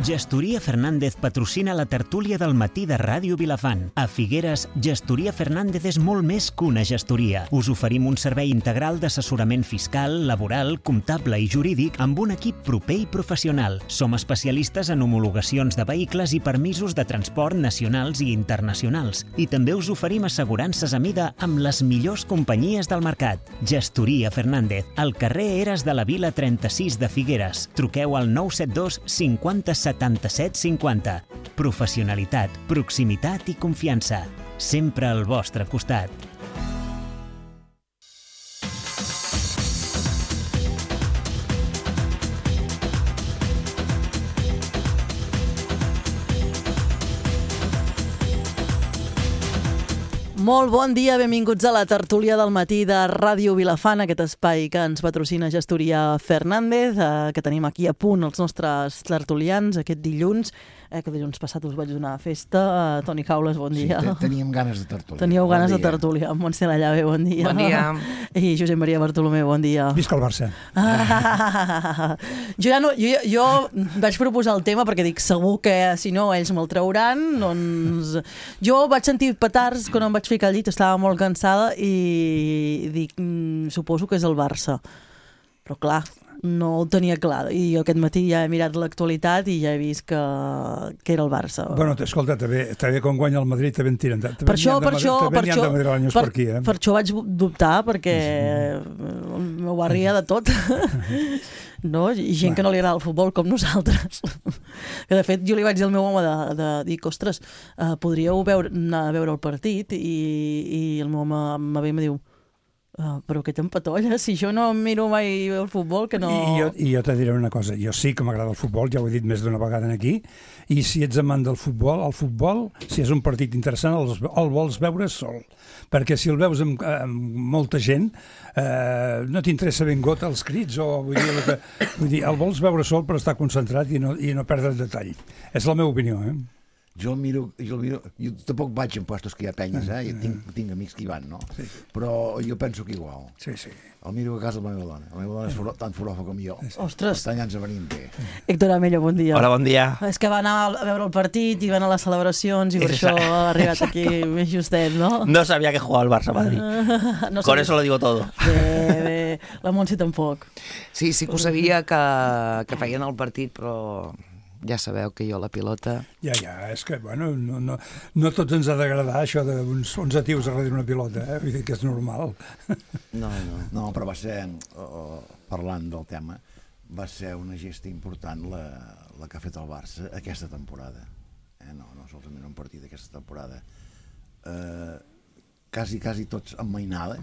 Gestoria Fernández patrocina la tertúlia del matí de Ràdio Vilafant. A Figueres, Gestoria Fernández és molt més que una gestoria. Us oferim un servei integral d'assessorament fiscal, laboral, comptable i jurídic amb un equip proper i professional. Som especialistes en homologacions de vehicles i permisos de transport nacionals i internacionals. I també us oferim assegurances a mida amb les millors companyies del mercat. Gestoria Fernández, al carrer Eres de la Vila 36 de Figueres. Truqueu al 972 50 77 50. Professionalitat, proximitat i confiança. Sempre al vostre costat. Molt bon dia, benvinguts a la tertúlia del matí de Ràdio Vilafant, aquest espai que ens patrocina Gestoria Fernández, que tenim aquí a punt els nostres tertulians aquest dilluns, que dilluns passat us vaig donar festa. Toni Caules, bon dia. Sí, teníem ganes de tertúlia. Teníeu ganes de tertúlia. Montse Llave, bon dia. Bon dia. I Josep Maria Bartolomé, bon dia. Visca el Barça. Jo vaig proposar el tema perquè dic, segur que si no ells me'l trauran, doncs... Jo vaig sentir petards quan em vaig ficar al llit, estava molt cansada i dic, suposo que és el Barça. Però clar, no ho tenia clar. I jo aquest matí ja he mirat l'actualitat i ja he vist que era el Barça. Bueno, escolta, també quan guanya el Madrid també en tiren. Per això vaig dubtar, perquè el meu barri hi ha de tot. No? I gent que no li agrada el futbol com nosaltres. Que de fet jo li vaig dir al meu home de dir, ostres, podríeu anar a veure el partit, i el meu home em ve i em diu, però què t'empatolles? Si jo no miro mai el futbol, que no... I jo te diré una cosa, jo sí que m'agrada el futbol, ja ho he dit més d'una vegada aquí, i si ets amant del futbol, el futbol, si és un partit interessant, el vols veure sol. Perquè si el veus amb molta gent, no t'interessa ben got els crits, o vull dir, el vols veure sol per estar concentrat i no perdre el detall. És la meva opinió, Jo el miro, jo tampoc vaig en puestos que hi ha penyes, tinc amics que hi van, no? Sí. Però jo penso que igual. Sí. El miro a casa de la meva dona. La meva dona és tan forofa com jo. Ostres! Per tant, ja ens venim bé. Héctor Amello, bon dia. Hola, bon dia. És que va anar a veure el partit i va anar a les celebracions i per això ha arribat aquí més justet, no? No sabía que jugaba el Barça-Madrid. Con eso lo digo todo. Bé. La Montse tampoc. Sí que ho sabia que feien el partit, però... Ja sabeu que jo la pilota... Ja, és que, bueno, no tots ens ha d'agradar això d'uns 11 tios darrere una pilota, vull dir que és normal. No, però va ser, parlant del tema, va ser una gesta important la que ha fet el Barça aquesta temporada. No solament un partit d'aquesta temporada. Quasi tots amb mainada,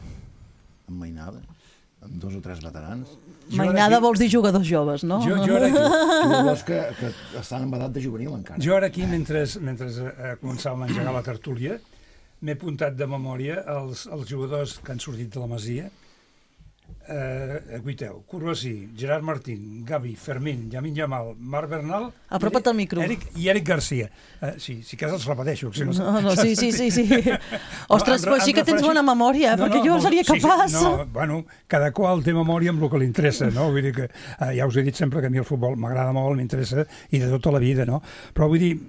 amb 2 o 3 veterans. Mainada vols dir jugadors joves, no? Jo ara aquí... Jugadors que estan en edat de juvenil encara. Jo ara aquí, mentre començàvem a engegar la tertúlia, m'he apuntat de memòria els jugadors que han sortit de la Masia. Guiteu, Courvoisí, Gerard Martín, Gavi, Fermín, Lamine Yamal, Marc Bernal... Apropa't al micro. I Eric Garcia. Sí que els repeteixo. Si no, sí. Ostres, però sí que tens bona memòria, perquè jo seria capaç. Bueno, cada qual té memòria amb el que li interessa, no? Vull dir que, ja us he dit sempre que a mi el futbol m'agrada molt, m'interessa, i de tota la vida, no? Però vull dir,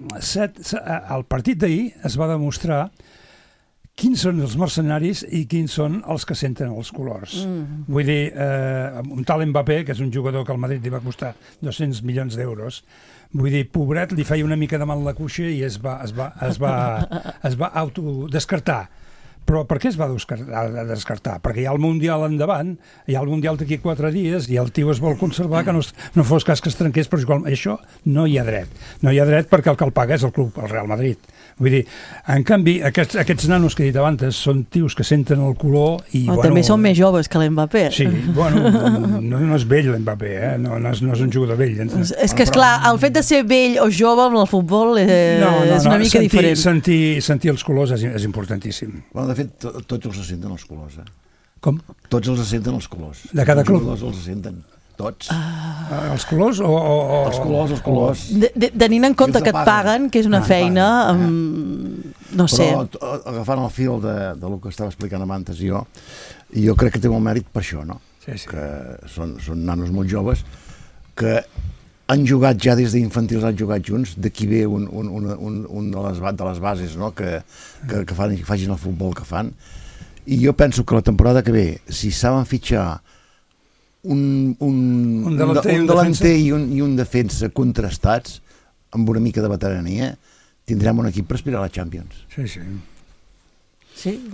al partit d'ahir es va demostrar quins són els mercenaris i quins són els que senten els colors. Vull dir, un tal Mbappé, que és un jugador que al Madrid li va costar 200 milions d'euros, vull dir, pobret, li feia una mica de mal la cuixa i es va autodescartar. Però per què es va descartar? Perquè hi ha el Mundial endavant, hi ha el Mundial d'aquí 4 dies i el tio es vol conservar que no fos cas que es trenqués, però igual, això no hi ha dret. No hi ha dret perquè el que el paga és el club, el Real Madrid. Vull dir, en canvi, aquests nanos que he dit abans són tios que senten el color i... També són més joves que l'Mbappé. Sí, bueno, no és vell l'Mbappé, no és un jugador vell. És que, esclar, el fet de ser vell o jove amb el futbol és una mica diferent. Sentir els colors és importantíssim. Bueno, de fet, tots els senten els colors, Com? Tots els senten els colors. De cada club? Els senten. Tots. Els colors o... Els colors. Tenint en compte que et paguen, que és una feina, no sé. Però agafant el fil del que estava explicant abans jo crec que té molt mèrit per això, no? Sí. Que són nanos molt joves que han jugat ja des d'infantils, han jugat junts, d'aquí ve un de les bases, no? que facin el futbol que fan. I jo penso que la temporada que ve, si saben fitxar un delanter i un defensa contrastats, amb una mica de veterania, tindrem un equip per aspirar a la Champions. Sí. Sí,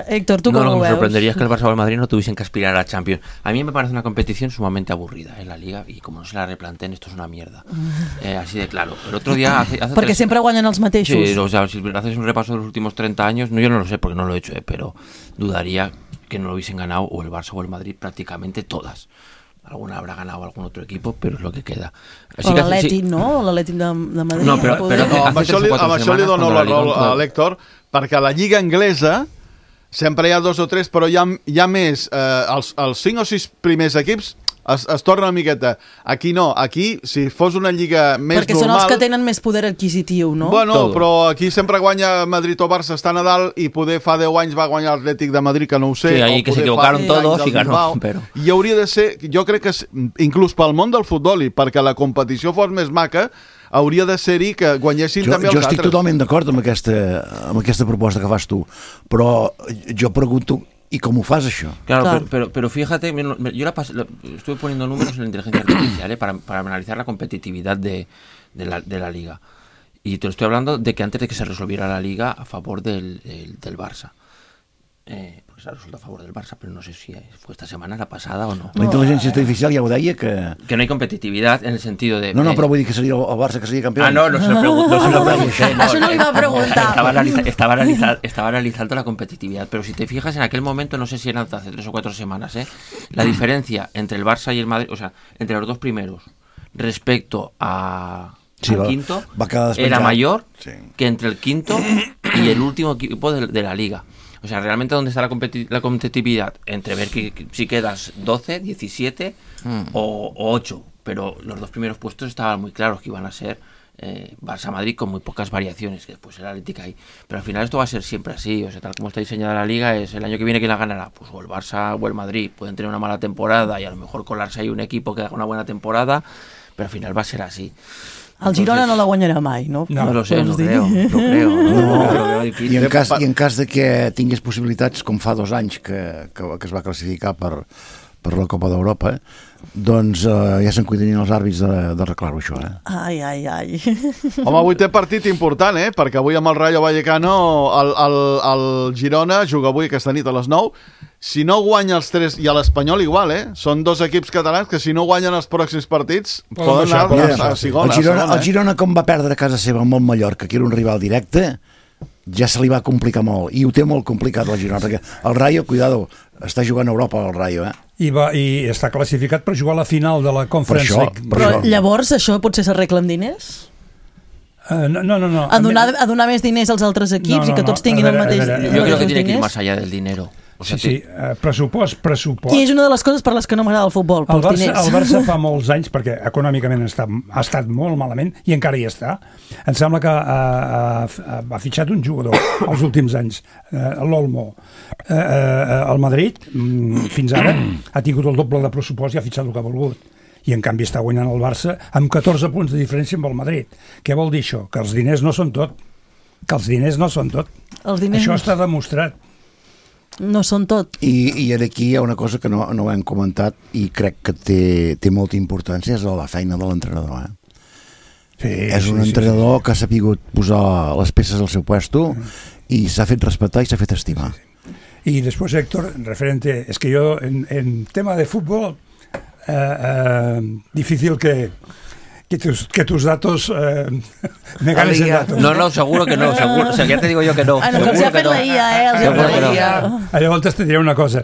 Héctor, ¿tú cómo lo que me ves? sorprendería es que el Barça o el Madrid no tuviesen que aspirar a la Champions. A mí me parece una competición sumamente aburrida en la Liga y como no se la replanteen, esto es una mierda. Así de claro. El otro día... Porque siempre guanyen els mateixos. Sí, o sea, si haces un repaso de los últimos 30 años, yo no lo sé porque no lo he hecho, pero dudaría que no lo hubiesen ganado o el Barça o el Madrid prácticamente todas. Alguna habrá ganado algún otro equipo, però és el que queda. O l'Atlètic, no? L'Atlètic de Madrid. No, però amb això li dono la raó a l'Héctor, perquè a la Lliga Anglesa sempre hi ha 2 o 3, però hi ha més. Els 5 o 6 primers equips es torna una miqueta. Aquí no, aquí, si fos una lliga més perquè normal... són els que tenen més poder adquisitiu, no? Bueno, però aquí sempre guanya Madrid o Barça, està a Nadal, i poder fa 10 anys va guanyar l'Atlètic de Madrid, que no ho sé. Sí, ahí que se equivocaron todos y ganó, pero... I hauria de ser, jo crec que inclús pel món del futbol i perquè la competició fos més maca, hauria de ser-hi que guanyessin també els altres. Jo estic totalment d'acord amb aquesta proposta que fas tu, però jo pregunto, ¿y cómo fas això? Claro. Pero fíjate, yo estuve poniendo números en la inteligencia artificial para analizar la competitividad de la Liga. Y te lo estoy hablando de que antes de que se resolviera la Liga a favor del Barça. Porque se ha resuelto a favor del Barça, pero no sé si fue esta semana, la pasada o no. La intel·ligència artificial ja ho deia que no hay competitividad en el sentido de... No, però vull dir que seria el Barça que seria campió. No se lo pregunto. Això no li va preguntar. Estaba analizando la competitividad, pero si te fijas en aquel momento, no sé si eran hace 3 o 4 semanas, la diferencia entre el Barça y el Madrid, o sea, entre los 2 primeros respecto al quinto, era mayor que entre el quinto y el último equipo de la Liga. O sea, realmente ¿dónde está la competitividad? Entre ver que si quedas 12, 17 o 8. Pero los 2 primeros puestos estaban muy claros que iban a ser Barça-Madrid con muy pocas variaciones, que después el Atlético ahí. Pero al final esto va a ser siempre así. O sea, tal como está diseñada la Liga, es el año que viene ¿quién la ganará? Pues o el Barça o el Madrid. Pueden tener una mala temporada y a lo mejor colarse ahí un equipo que haga una buena temporada, pero al final va a ser así. El Girona no la guanyarà mai, no? No lo sé, no creo. No. I en cas de que tingués possibilitats, com fa 2 anys que es va classificar per la Copa d'Europa, doncs ja se'n cuidarien els àrbits d'arreglar-ho, això. Ai. Home, avui té partit important, perquè avui amb el Rayo Vallecano el Girona juga avui aquesta nit a les 9. Si no guanya els 3, i a l'Espanyol igual, són 2 equips catalans que si no guanyen els pròxims partits poden anar a segona. El Girona, com va perdre a casa seva amb el Mallorca, que era un rival directe, ja se li va complicar molt, i ho té molt complicat el Girona, perquè el Rayo, cuidado, està jugant a Europa el Rayo, I està classificat per jugar a la final de la Conference League. Però llavors això potser s'arregla amb diners? No. A donar més diners als altres equips i que tots tinguin el mateix diners? Yo creo que tiene que ir más allá del dinero. O sea, sí, pressupost. I és una de les coses per les que no m'agrada el futbol, pels diners. El Barça fa molts anys, perquè econòmicament ha estat molt malament, i encara hi està. Em sembla que ha fitxat un jugador els últims anys, l'Olmo. El Madrid, fins ara, ha tingut el doble de pressupost i ha fitxat el que ha volgut. I en canvi està guanyant el Barça amb 14 punts de diferència amb el Madrid. Què vol dir això? Que els diners no són tot. Això està demostrat. No són tot. I aquí hi ha una cosa que no hem comentat i crec que té molta importància, és la feina de l'entrenador. És un entrenador que ha sapigut posar les peces al seu puesto i s'ha fet respectar i s'ha fet estimar. I després, Héctor, referente, es que yo en tema de fútbol, difícil que tus datos me ganes en datos. No, seguro que no. Seguro, o sea, ya te digo yo que no. Seguro que no. Llavors te diré una cosa.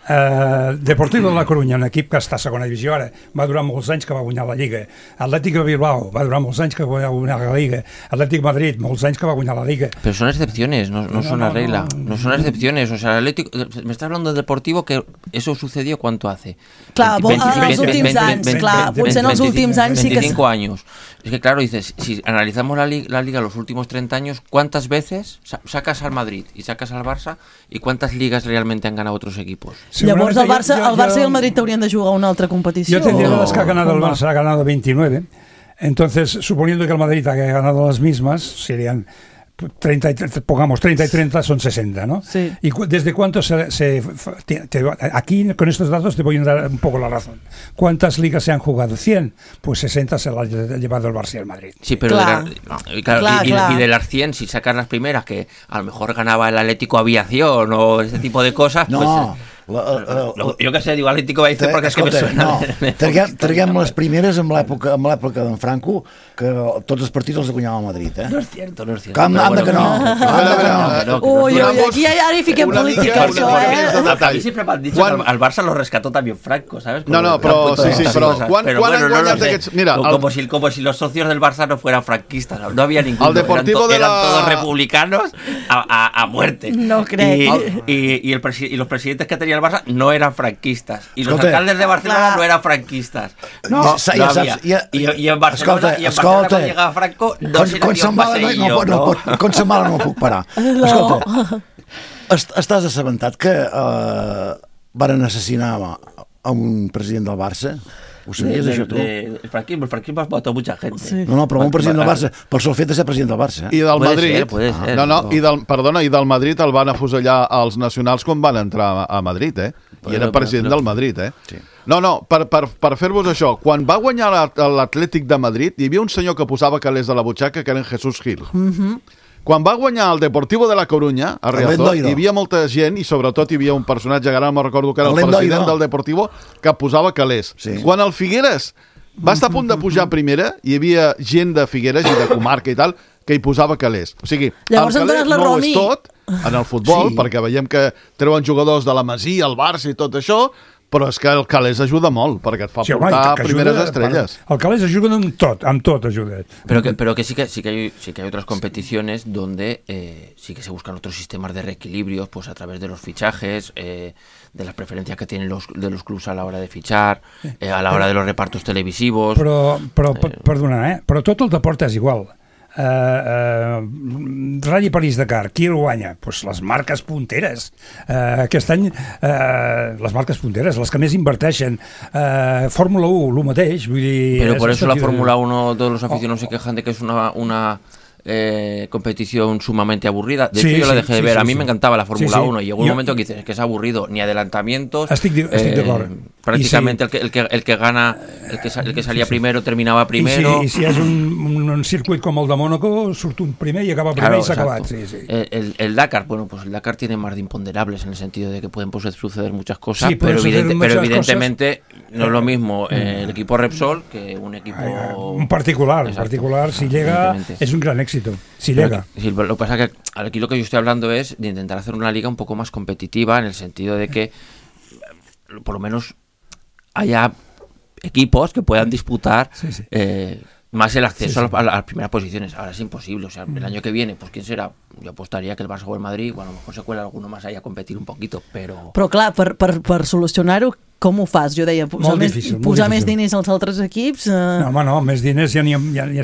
Deportivo de la Coruña, un equip que està a segona divisió ara, va durar molts anys que va guanyar la Lliga. Atlètic de Bilbao va durar molts anys que va guanyar la Liga. Atlètic Madrid, molts anys que va guanyar la Liga. Pero son excepciones, no son la regla. No son excepciones. O sea, el Atlético, me estás hablando del Deportivo, que eso sucedió ¿cuánto hace? Clar, en els últims anys, clar, potser en els últims anys sí que... 25 años. Es que claro, dices, si analizamos la Liga los últimos 30 años, ¿cuántas veces sacas al Madrid y sacas al Barça y cuántas ligas realmente han ganado otros equipos? Llavors el Barça i el Madrid haurien de jugar una altra competició. Yo te diría que ha ganado el Barça, ha ganado 29. Entonces, suponiendo que el Madrid haya ganado las mismas, serían 30 y 30 son 60, ¿no? Sí. ¿Y desde cuánto aquí con estos datos te voy a dar un poco la razón? ¿Cuántas ligas se han jugado? 100, pues 60 se las ha llevado el Barça y el Madrid. Sí, pero Claro. Y de las 100, si sacas las primeras, que a lo mejor ganaba el Atlético Aviación o ese tipo de cosas, No, jo què sé, diu Atlético Aviación perquè és que me suena. No, traguem les primeres amb l'època d'en Franco, que tots els partits els guanyava el Madrid, No és cierto, no és cierto. Com, anda que no. Ui, aquí ara hi fiquem política, això, A mí siempre me han dicho que al Barça lo rescató también Franco, ¿sabes? No, però quan han guanyat aquests... Mira, como si los socios del Barça no fueran franquistas, no había ninguno, el Deportivo eran todos republicanos a muerte. No crec. Y los presidentes que tenía el Barça no eran franquistas, y los alcaldes de Barcelona no eran franquistas. No, ja saps, i en Barcelona quan llegava Franco no se n'havia un passeillo, no? Com se'n mala no puc parar. Escolta, estàs assabentat que varen assassinar a un president del Barça? Ho sabies, això, tu? El franquismo mató mucha gente. Sí. No, però un president del Barça, pel sol fet de ser president del Barça. I del Madrid... Puede ser. I del Madrid el van afusellar als nacionals quan van entrar a Madrid, I era president del Madrid, Sí. No, per fer-vos això, quan va guanyar l'Atlètic de Madrid, hi havia un senyor que posava calés de la butxaca, que era en Jesús Gil. Quan va guanyar el Deportivo de la Coruña, a Riazor, hi havia molta gent i sobretot hi havia un personatge, ara no me'n recordo que era el president del Deportivo, que posava calés. Sí. Quan el Figueres va estar a punt de pujar a primera, hi havia gent de Figueres i de comarca i tal, que hi posava calés. O sigui, llavors el calés no ho Romi. és tot en el futbol, perquè veiem que treuen jugadors de la Masia, el Barça i tot això, però és que el calés ajuda molt, perquè et fa portar primeres estrelles. El calés ajuda amb tot ajuda. Pero que sí que hay otras competiciones donde sí que se buscan otros sistemas de reequilibrios, pues a través de los fichajes, de las preferencias que tienen de los clubs a la hora de fichar, a la hora de los repartos televisivos. Perdona, però tot el deport és igual. Rally París-Dakar, qui el guanya? Pues les marques punteres. Aquest any les marques punteres, les que més inverteixen. Fórmula 1, el mateix, vull dir... Pero por eso la Fórmula 1, todos los aficionados se quejan de que es una competición sumamente aburrida. De hecho, yo la dejé de ver. A mí me encantaba la Fórmula 1 y llegó un momento que dices que es aburrido, ni adelantamientos. Estic d'acord. Prácticamente el que gana, el que salía primero terminaba primero. I si és un circuit com el de Mónaco, surt un primer i acaba primer, claro, i s'ha acabat. Sí. El Dakar, bueno, pues el Dakar tiene más de imponderables en el sentido de que pueden suceder muchas cosas, pero evidentemente no es lo mismo el equipo Repsol que un equipo... Un particular, si llega, es un gran éxito. Si llega. Sí, lo que pasa es que aquí lo que yo estoy hablando es de intentar hacer una liga un poco más competitiva, en el sentido de que por lo menos haya equipos que puedan disputar más el acceso a las primeras posiciones. Ahora es imposible, o sea, el año que viene, pues ¿quién será? Jo apostaria que el Barça o el Madrid, bueno, a lo mejor se cuela alguno más ahí a competir un poquito, però... Però clar, per solucionar-ho, com ho fas? Jo deia, posar més diners als altres equips... No, home, no, més diners ja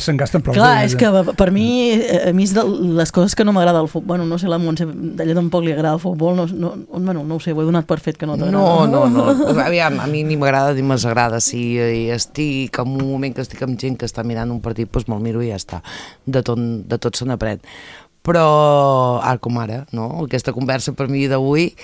se'n gasten prou. Clar, és que per mi, a mi és de les coses que no m'agrada el futbol. Bueno, no sé, la Montse, d'ella tampoc li agrada el futbol, no ho sé, ho he donat per fet que no t'agrada. No. Aviam, a mi ni m'agrada ni m'agrada. Si estic en un moment que estic amb gent que està mirant un partit, doncs me'l miro i ja està. De tot se n'aprèn. Però, ara com ara, no? Aquesta conversa per mi d'avui,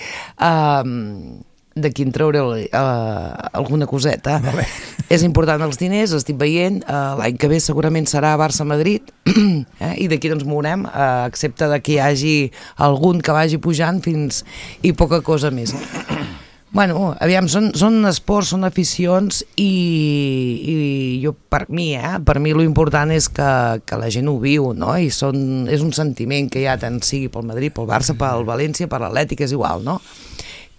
d'aquí en trauré alguna coseta. Vale. És important els diners, estic veient, l'any que ve segurament serà Barça-Madrid, i d'aquí doncs mourem, excepte que hi hagi algun que vagi pujant fins i poca cosa més. Bueno, aviam, són esports, són aficions i jo, per mi lo important és que la gent ho viu, no? I és un sentiment que hi ha, tant sigui pel Madrid, pel Barça, pel València, per l'Atlètic, és igual, no?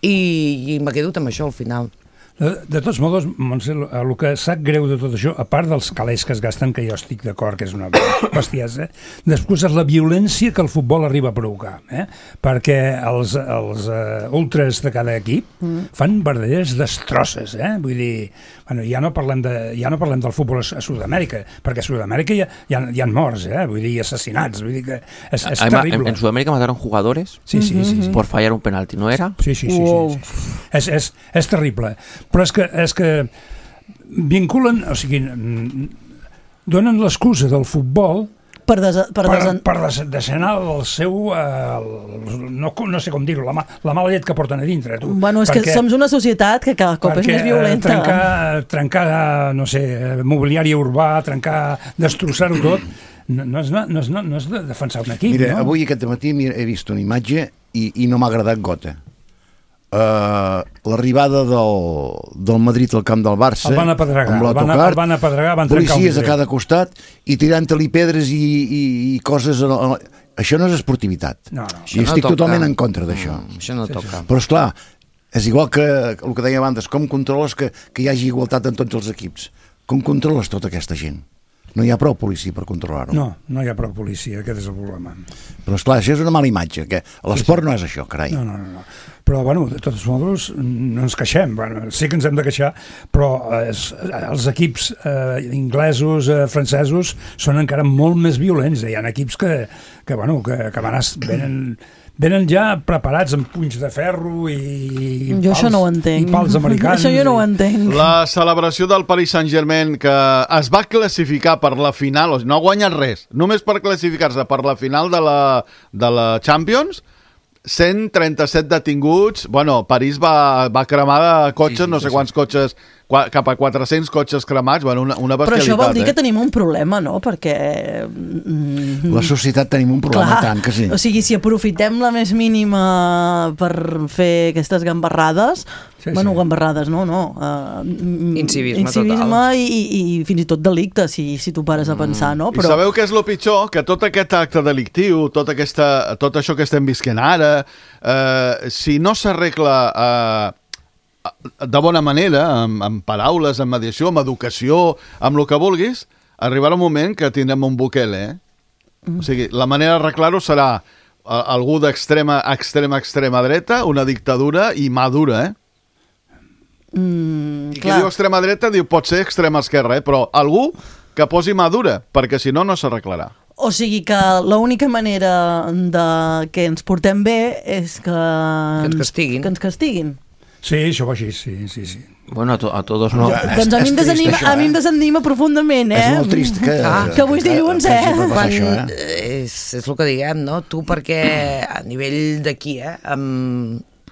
I me quedo amb això al final. De tots modos, Montse, el que sap greu de tot això, a part dels calés que es gasten, que jo estic d'acord que és una bestiesa, després és la violència que el futbol arriba a provocar, perquè els ultras de cada equip fan verdaderes destrosses, vull dir, bueno, ja no parlem del futbol a Sud-amèrica, perquè a Sud-amèrica hi ha morts, vull dir, assassinats, vull dir que és terrible. En Sudamérica mataron jugadores sí. por fallar un penalti, ¿no era? Sí. És terrible. Però és que vinculen, o sigui, donen l'excusa del futbol per desenar el seu, no sé com dir-ho, la mala llet que porten a dintre. Tu. Bueno, és que som una societat que cada cop és més violenta. Trencar, no sé, mobiliari urbà, destrossar-ho tot, no és de defensar un equip. Mira, avui aquest matí he vist una imatge i no m'ha agradat gota. L'arribada del Madrid al camp del Barça el van apedregar, van policies a cada costat i tirant-li pedres i coses això no és esportivitat i estic totalment en contra d'això. Això no toca. Però esclar, és igual que el que deia abans, com controles que hi hagi igualtat en tots els equips? Com controles tota aquesta gent? No hi ha prou policia per controlar-ho. No hi ha prou policia, aquest és el problema. Però esclar, això és una mala imatge, que l'esport no és això, carai. No. Però, bueno, de tots modos, no ens queixem. Bueno, sí que ens hem de queixar, però els equips inglesos, francesos, són encara molt més violents. Hi ha equips que venen ja preparats amb punys de ferro i pals americans. Això jo no ho entenc. La celebració del Paris Saint-Germain, que es va classificar per la final, no ha guanyat res, només per classificar-se per la final de la Champions, 137 detinguts. Bueno, París va cremar de cotxes, no sé quants cotxes, cap a 400 cotxes cremats. Bueno, una bestialitat. Però això vol dir que tenim un problema, no? Perquè... La societat tenim un problema, tant que sí. O sigui, si aprofitem la més mínima per fer aquestes gambarrades... Bueno, gambarrades, no. Incivisme total. I fins i tot delicte, si tu pares a pensar, no? Però... I sabeu què és el pitjor? Que tot aquest acte delictiu, tot això que estem visquent ara, si no s'arregla de bona manera, amb paraules, amb mediació, amb educació, amb el que vulguis, arribarà un moment que tindrem un Bukele, O sigui, la manera d'arreglar-ho serà algú d'extrema dreta, una dictadura i mà dura, I qui diu extrema dreta diu pot ser extrema esquerra, però algú que posi mà dura, perquè si no, no s'arreglarà. O sigui que l'única manera que ens portem bé és que ens castiguin. Sí, això va així, sí. Bueno, a todos no. Doncs a mi em desanima profundament, És molt trist que avui és dilluns, És el que diguem, no? Tu perquè a nivell d'aquí,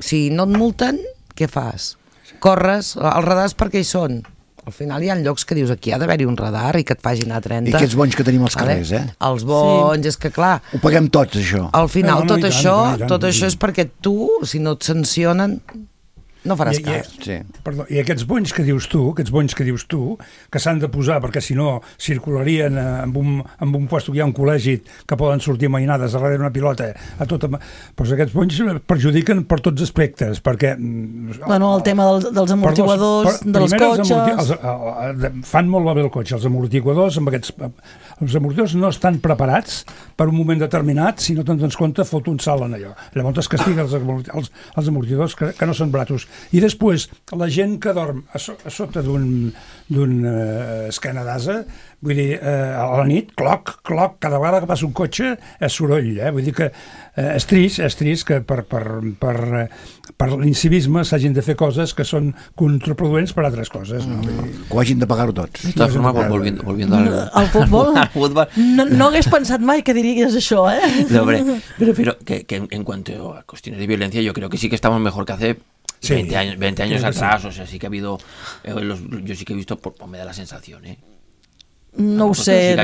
si no et multen, què fas? Corres, els radars per què hi són? Al final hi ha llocs que dius aquí ha d'haver-hi un radar i que et facin a 30. I aquests bonys que tenim als carrers, Els bonys, és que clar... Ho paguem tots, això. Al final tot això és perquè tu, si no et sancionen... No faràs cas. Perdó, i aquests bonys que dius tu, que s'han de posar perquè si no circularien amb un lloc hi ha un col·legi que poden sortir mainades darrere una pilota doncs aquests bonys perjudiquen per tots aspectes, perquè el tema dels amortiguadors dels cotxes fan molt bé el cotxe, els amortiguadors els amortiguadors no estan preparats per un moment determinat, si no te'n dones compte fot un salt en allò, llavors es castiga els amortiguadors que no són bratos. I després, la gent que dorm a sota d'un esquena d'asa, vull dir, a la nit, cloc, cada vegada que passa un cotxe és soroll, vull dir que és trist que per l'incivisme s'hagin de fer coses que són contraproduents per altres coses, no? Que ho hagin de pagar-ho tots. De todas formas, volviendo al futbol, no hagués pensat mai que diries això, No, hombre, pero que en cuanto a cuestiones de violencia, yo creo que sí que estamos mejor que hace 20 años atrás, o sea, sí que ha habido, yo sí que he visto, me da la sensación, No ho sé.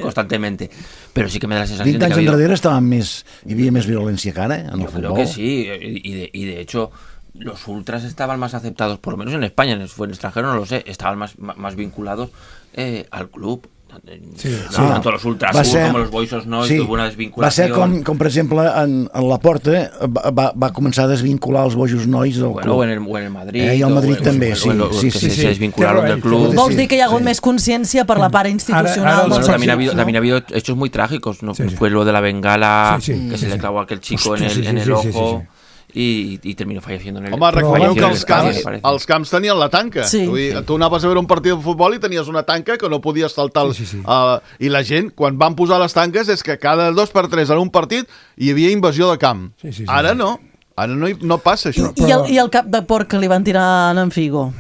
Constantemente, pero sí que me da la sensación 20 anys enrere hi havia més violència que ara en el futbol. Creo que sí, y de hecho los ultras estaban más aceptados, por lo menos en España, en el extranjero no lo sé, estaban más vinculados al club. tanto los ultras como los boisos no, sí, tuvo una desvinculación. Va ser com per exemple, en Laporta va començar a desvincular els bojos nois del club. O en el Madrid. I el Madrid també, sí. Se desvincularon del club. Vols dir que hi ha hagut més consciència per la part institucional? También ha habido hechos muy trágicos, ¿no? Fue lo de la bengala, que se le clavó a aquel chico en el ojo. I terminó falleciendo en el... Home, recordeu que els camps tenien la tanca. Sí. Vull dir, tu anaves a veure un partit de futbol i tenies una tanca que no podies saltar. I la gent, quan van posar les tanques, és que cada 2x3 en un partit hi havia invasió de camp. Ara no. Ara no passa això. I el cap de porc que li van tirar en Figo.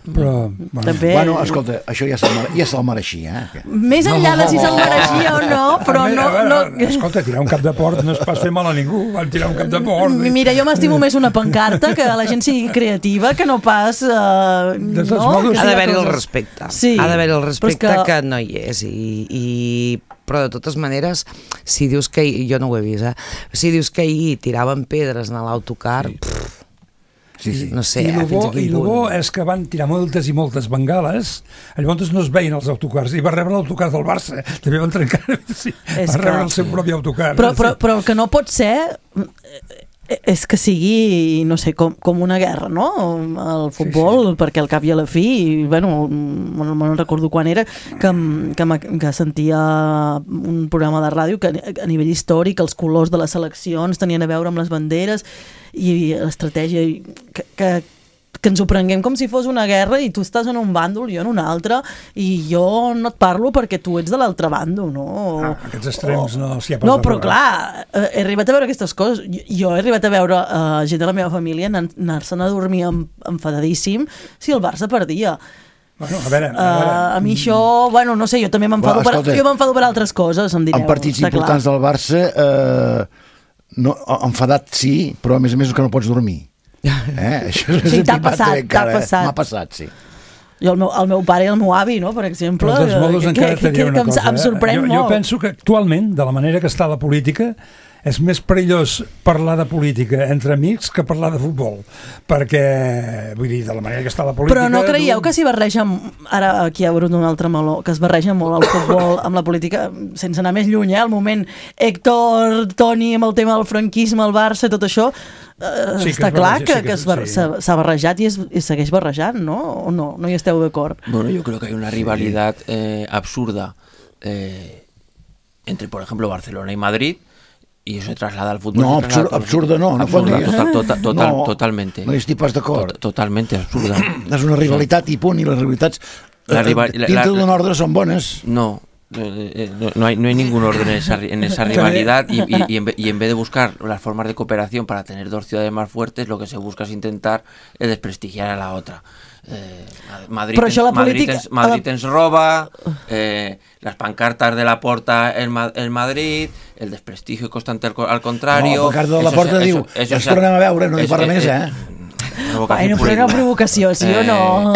Però, bueno, escolta, això ja se'l mereixia. Més enllà de si se'l mereixia o no, però no... Escolta, tirar un cap de porc no es pas fer mal a ningú, van tirar un cap de porc. Mira, jo m'estimo més una pancarta, que la gent sigui creativa, que no pas... De tots modos, ha d'haver-hi el respecte. Ha d'haver-hi el respecte que no hi és. Però de totes maneres, si dius que... Jo no ho he vist, si dius que ahir tiraven pedres en l'autocar... No sé, I el bo és que van tirar moltes i moltes bengales, llavors no es veien els autocars, i va rebre l'autocar del Barça, també van trencar, va rebre el seu propi autocar. Però el que no pot ser és que sigui, no sé, com una guerra, no? El futbol, perquè al cap i a la fi, bueno, no recordo quan era, que sentia un programa de ràdio que a nivell històric els colors de les seleccions tenien a veure amb les banderes i l'estratègia que ens ho prenguem com si fos una guerra i tu estàs en un bàndol, jo en un altre, i jo no et parlo perquè tu ets de l'altre bàndol, no? Aquests extrems no s'hi ha passat. No, però clar, he arribat a veure aquestes coses. Jo he arribat a veure gent de la meva família anar-se'n a dormir enfadadíssim si el Barça perdia. Bueno, a veure. A mi això, bueno, no sé, jo també m'enfado per altres coses, em direu. En partits importants del Barça, enfadat sí, però a més que no pots dormir. Sí, t'ha passat. M'ha passat, sí. Jo, el meu pare i el meu avi, no, per exemple, però dels modos encara et diré una cosa. Em sorprèn molt. Jo penso que actualment, de la manera que està la política, és més perillós parlar de política entre amics que parlar de futbol, perquè, vull dir, de la manera que està la política... Però no creieu que s'hi barreja, ara aquí hi ha hagut un altre meló, que es barreja molt el futbol amb la política, sense anar més lluny, el moment Héctor, Toni, amb el tema del franquisme, el Barça, tot això, està clar que s'ha barrejat i segueix barrejant, no? O no hi esteu d'acord? Bueno, yo creo que hay una rivalidad absurda entre, por ejemplo, Barcelona y Madrid, y eso se traslada al fútbol. No, absurda no totalmente. No hi estic pas d'acord. Totalmente absurda. És una rivalitat i punt, i les rivalitats dintre d'un ordre són bones. No hay ningún orden en esa rivalidad y en vez de buscar las formas de cooperación para tener dos ciudades más fuertes, lo que se busca es intentar desprestigiar a la otra. Madrid ens roba, las pancartas de Laporta en Madrid, el desprestigio constante al contrario. No, la pancarta de Laporta diu, ens tornem a veure, no hi parla més, Bueno, pero una provocación, ¿sí o no?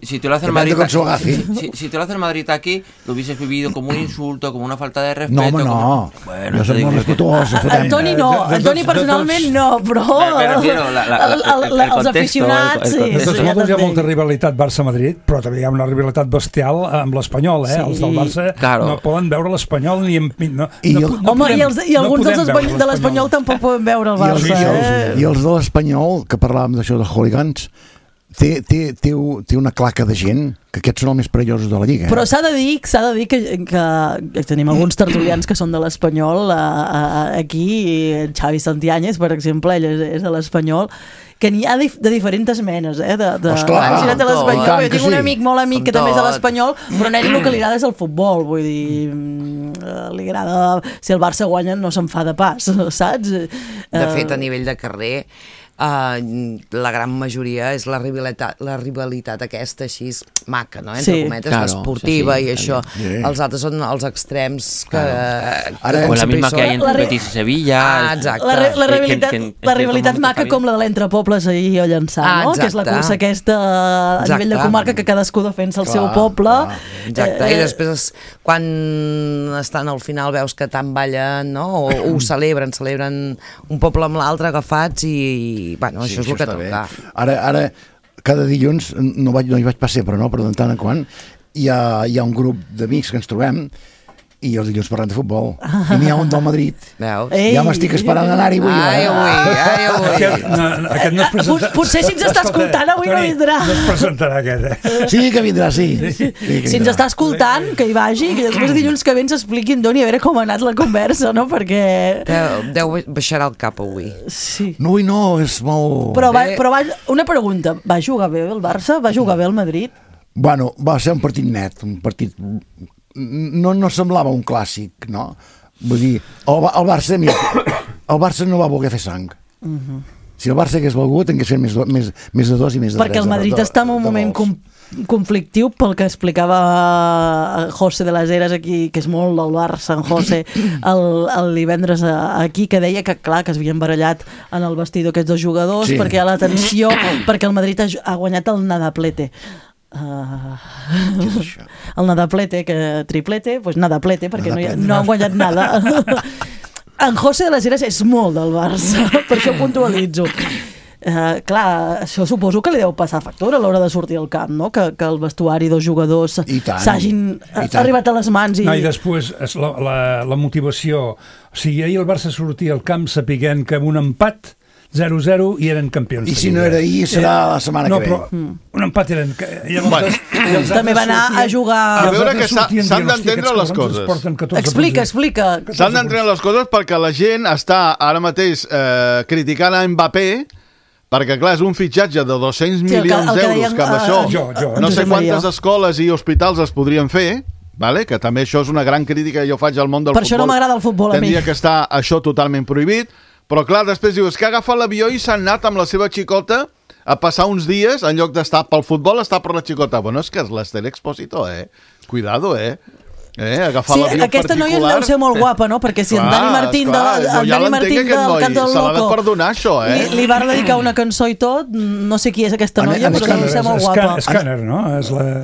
Si te lo hace el Madrid si te lo hace el Madrid aquí, lo hubieses vivido como un insulto, como una falta de respeto. No, home, no. Bueno, no som molt respetuosos. Antoni no, Antoni personalment no, però els aficionats sí. De tots modos hi ha molta rivalitat Barça-Madrid, però també hi ha una rivalitat bestial amb l'Espanyol, els del Barça no poden veure l'Espanyol ni... Home, i alguns de l'Espanyol tampoc poden veure el Barça. I els de l'Espanyol, que parlàvem d'això de hooligans, té una claca de gent que aquests són els més perillosos de la Lliga. Però s'ha de dir que tenim alguns tertulians que són de l'Espanyol aquí, Xavi Santianyes, per exemple, ell és de l'Espanyol, que n'hi ha de diferents menes, Ostres, jo tinc un amic molt amic que també és de l'Espanyol, però a ell el que li agrada és el futbol, vull dir, li agrada, si el Barça guanya no se'n fa de pas, saps? De fet, a nivell de carrer, la gran majoria és la rivalitat aquesta així maca, no? Entre cometes, l'esportiva i això. Els altres són els extrems que... O la misma que hi ha entre Betis i Sevilla. La rivalitat maca com la de l'Entrepobles ahir a Llançà, no? Que és la cursa aquesta a nivell de comarca que cadascú defensa el seu poble. Exacte, i després quan estan al final veus que tant ballen, no? O ho celebren un poble amb l'altre agafats i bueno, això és el que toca. Ara, cada dilluns, no hi vaig passar, però de tant en quant, hi ha un grup d'amics que ens trobem i els dilluns parlem de futbol. I n'hi ha un del Madrid. Veus? Ja m'estic esperant anar-hi avui. Aquest no es presenta... Potser si ens està escoltant avui no vindrà. No es presentarà aquest, Sí, que vindrà, sí. Si ens està escoltant, que hi vagi, que després dilluns que ve ens expliqui en Doni a veure com ha anat la conversa, no? Perquè... Deu baixarà el cap avui. Sí. No, és molt... Però una pregunta, va jugar bé el Barça? Va jugar bé el Madrid? Bueno, va ser un partit net, un partit... No semblava un clàssic, no? Vull dir, el Barça, mira, el Barça no va voler fer sang. Si el Barça hagués volgut, hagués fet més de 2 i més de 3. Perquè el Madrid està en un moment conflictiu, pel que explicava José de las Heras aquí, que és molt del Barça, en José, el divendres aquí, que deia que clar, que es havien barallat en el vestidor aquests 2 jugadors, sí. Perquè hi ha la tensió, perquè el Madrid ha guanyat el nadaplete. El nadaplete, que triplete, doncs nadaplete, perquè no han guanyat nada. En José de las Heras és molt del Barça, per això puntualitzo. Clar, això suposo que li deu passar factura a l'hora de sortir al camp, no? Que el vestuari dels jugadors s'hagin arribat a les mans. I després la motivació. O sigui, ahir el Barça sortia al camp sapiguent que amb un empat 0-0 i eren campions. I si no era ahir, serà la setmana que ve. No, però un empat eren... També va anar a jugar... A veure que s'han d'entendre les coses. Explica. S'han d'entendre les coses perquè la gent està ara mateix criticant a Mbappé perquè, clar, és un fitxatge de 200 milions d'euros, que amb això no sé quantes escoles i hospitals es podrien fer, vale? Que també això és una gran crítica que jo faig al món del futbol. Per això no m'agrada el futbol a mi. Tendria que estar això totalment prohibit. Però clar, després dius que ha agafat l'avió i s'ha anat amb la seva xicota a passar uns dies, en lloc d'estar pel futbol, està per la xicota. Bueno, és que és l'Ester Exposito, Cuidado, agafar l'avió particular. Aquesta noia deu ser molt guapa, no? Perquè si en Dani Martín del Cant del se l'ha de Loco perdonar, això, li va dedicar una cançó i tot, no sé qui és aquesta noia, però deu ser molt guapa. Scanner, no?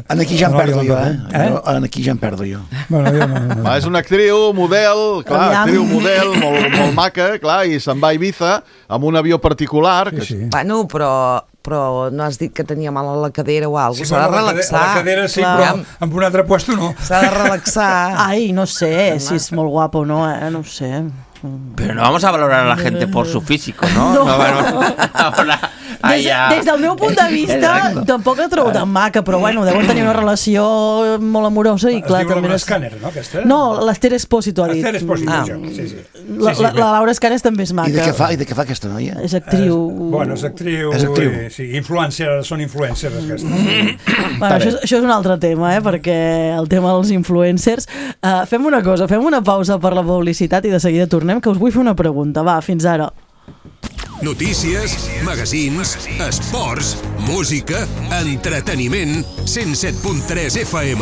Aquí ja em perdo jo, Aquí ja em perdo jo. És una actriu, model, model, molt maca, clar, i se'n va a Ibiza amb un avió particular. Bueno, però no has dit que tenia mal a la cadera o alguna cosa. S'ha de relaxar. A la cadera sí, però en un altre puesto no. S'ha de relaxar. Ai, no sé si és molt guapo o no, no ho sé. Pero no vamos a valorar a la gente por su físico, ¿no? Des del meu punt de vista, tampoc la trobo tan maca, però bueno, deuen tenir una relació molt amorosa i clar... Es diu Laura Scanner, no, aquesta? No, l'Ester Exposito ha dit. L'Ester Exposito, sí. La Laura Scanner també és maca. I de què fa aquesta noia? És actriu. Bueno, és actriu. Sí, són influencers, aquestes. Això és un altre tema, perquè el tema dels influencers... Fem una cosa, fem una pausa per la publicitat i de seguida tornem, que us vull fer una pregunta. Va, fins ara. Notícies, magazins, esports, música, entreteniment, 107.3 FM,